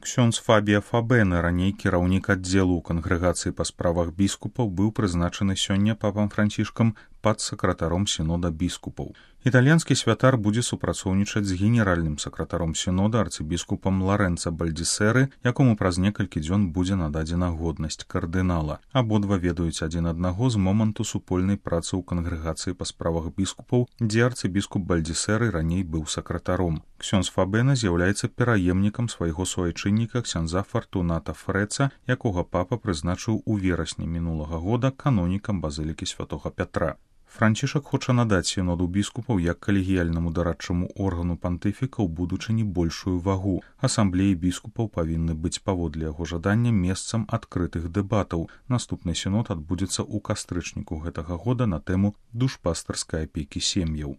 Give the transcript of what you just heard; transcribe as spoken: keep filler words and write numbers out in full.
Ксёндз Фабія Фабена, раней кіраўнік аддзелу ў кангрэгацыі па справах біскупаў, быў прызначаны сёння папам Францішкам падсакратаром сінода біскупаў. Італьянскі святар будзе супрацоўнічаць з генеральным сакратаром сінода арцыбіскупам Ларэнца Бальдзісеры, якому праз некалькі дзён будзе нададзена годнасць кардынала. Абодва ведаюць адзін аднаго з моманту супольнай працы ў кангрэгацыі па справах біскупаў, дзе арцыбіскуп Бальдзісеры раней быў сакратаром. Ксёндз Фабена з'яўляецца пераемнікам свайго суайчынніка ксяндза Фартуната Фрэца, якога папа прызначыў у верасні мінулага года канонікам базылікі святога Пятра. Францішак хоча надаць сіноду біскупаў як калегіяльнаму дарадчаму органу пантыфіка ў будучыні большую вагу. Асамблеі біскупаў павінны быць паводле яго жадання месцам адкрытых дэбатаў. Наступны сінод адбудзецца ў кастрычніку гэтага года на тэму душпастарскай апекі сем'яў.